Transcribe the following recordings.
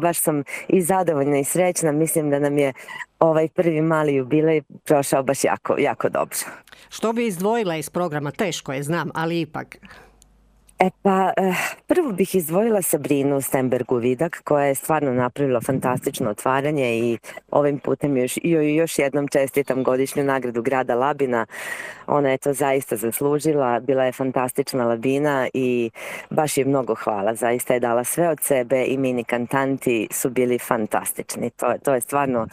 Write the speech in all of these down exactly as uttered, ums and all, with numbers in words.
baš sam i zadovoljna i srećna. Mislim da nam je ovaj prvi mali jubilej prošao baš jako, jako dobro. Što bi izdvojila iz programa? Teško je, znam, ali ipak. E pa, prvo bih izdvojila Sabrinu Stenbergu-Vidak, koja je stvarno napravila fantastično otvaranje i ovim putem još, još jednom čestitam godišnju nagradu grada Labina. Ona je to zaista zaslužila, bila je fantastična Labina i baš je mnogo hvala. Zaista je dala sve od sebe i mini kantanti su bili fantastični. To, to je stvarno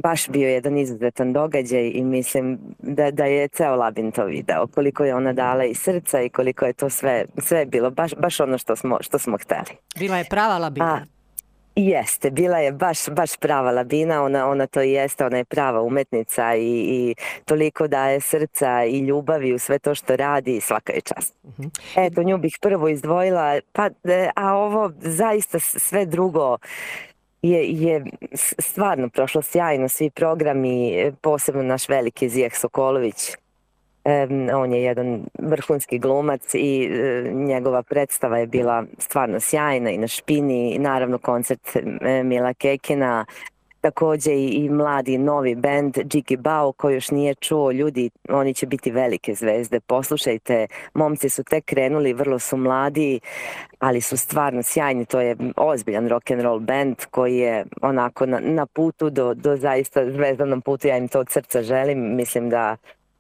baš bio jedan izuzetan događaj i mislim da, da je ceo Labin to video. Koliko je ona dala iz srca i koliko je to sve, sve bilo baš, baš ono što smo, što smo hteli. Bila je prava Labina. A, jeste, bila je baš, baš prava Labina, ona, ona to i jeste, ona je prava umetnica i, i toliko daje srca i ljubavi u sve to što radi i svaka je čast. Uh-huh. Eto, nju bih prvo izdvojila, pa, a ovo zaista sve drugo Je, je stvarno prošlo sjajno, svi programi, posebno naš veliki Zijeh Sokolović. E, on je jedan vrhunski glumac i e, njegova predstava je bila stvarno sjajna i na Špini, i naravno koncert e, Mila Kekina, takođe i, i mladi novi bend Džiki Bao koji još nije čuo. Ljudi, oni će biti velike zvezde, poslušajte, momci su tek krenuli, vrlo su mladi, ali su stvarno sjajni. To je ozbiljan rock and roll band koji je onako na, na putu do, do zaista zvezdanom putu. Ja im to od srca želim, mislim da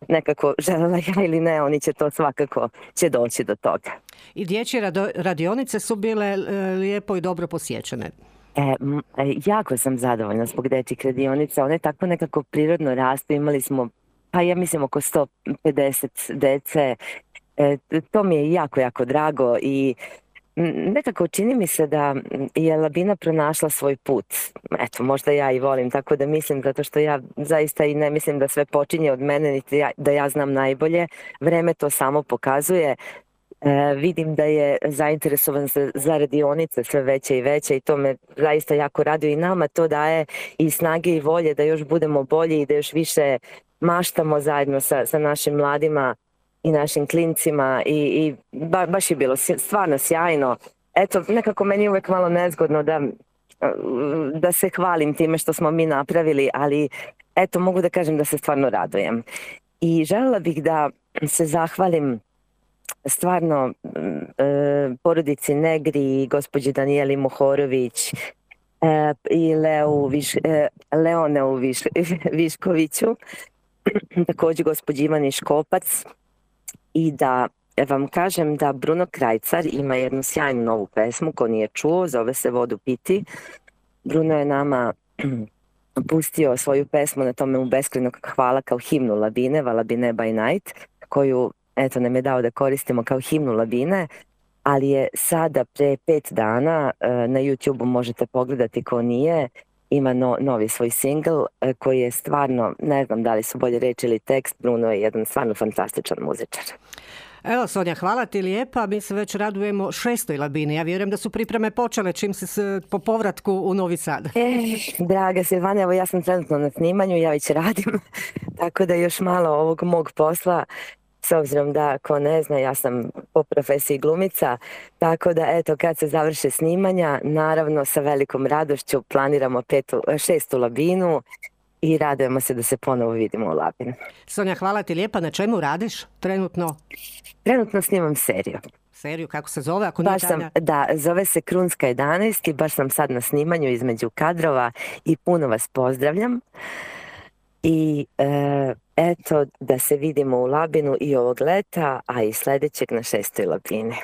nekako želela ja ili ne, oni će to svakako će doći do toga. I dječje radionice su bile lijepo i dobro posjećene. E, jako sam zadovoljna zbog dečjih radionica, one tako nekako prirodno rastu, imali smo, pa ja mislim oko sto pedeset dece, e, to mi je jako, jako drago i nekako čini mi se da je Labina pronašla svoj put. Eto, možda ja i volim tako da mislim, zato što ja zaista i ne mislim da sve počinje od mene, niti ja, da ja znam najbolje, vreme to samo pokazuje. E, vidim da je zainteresovan za, za radionice sve veće i veće i to me zaista jako raduje i nama to daje i snage i volje da još budemo bolji i da još više maštamo zajedno sa, sa našim mladima i našim klincima i, i ba, baš je bilo stvarno sjajno. Eto, nekako meni je uvek malo nezgodno da, da se hvalim time što smo mi napravili, ali eto, mogu da kažem da se stvarno radujem. I želela bih da se zahvalim stvarno e, porodici Negri i gospođi Danijeli Mohorović e, i Leu Viš, e, Leoneu Viš, Viškoviću, takođe gospođi Ivani Škopac i da vam kažem da Bruno Krajcar ima jednu sjajnu novu pesmu ko nije čuo, zove se Vodu piti. Bruno je nama pustio svoju pesmu na tome u beskrajnog hvala kao himnu Labine, Valabine by Night, koju eto nam je dao da koristimo kao himnu Labine, ali je sada pre pet dana na YouTube-u možete pogledati ko nije, ima no, novi svoj singl koji je stvarno, ne znam da li su bolje reči ili tekst, Bruno je jedan stvarno fantastičan muzičar. Evo Sonja, hvala ti lijepa, mi se već radujemo šestoj Labini, ja vjerujem da su pripreme počele čim se s, po povratku u Novi Sad. E, draga Silvana, evo ja sam trenutno na snimanju, ja već radim, tako da još malo ovog mog posla, s obzirom da, ko ne zna, ja sam po profesiji glumica, tako da eto kad se završe snimanja, naravno sa velikom radošću planiramo petu, šestu Labinu i radujemo se da se ponovo vidimo u Labinu. Sonja, hvala ti lijepa. Na čemu radiš trenutno? Trenutno snimam seriju. Seriju, kako se zove? Ako baš sam, da, zove se Krunska jedanaest i baš sam sad na snimanju između kadrova i puno vas pozdravljam. I e, eto da se vidimo u Labinu i ovog leta, a i sledećeg na šestoj Labini.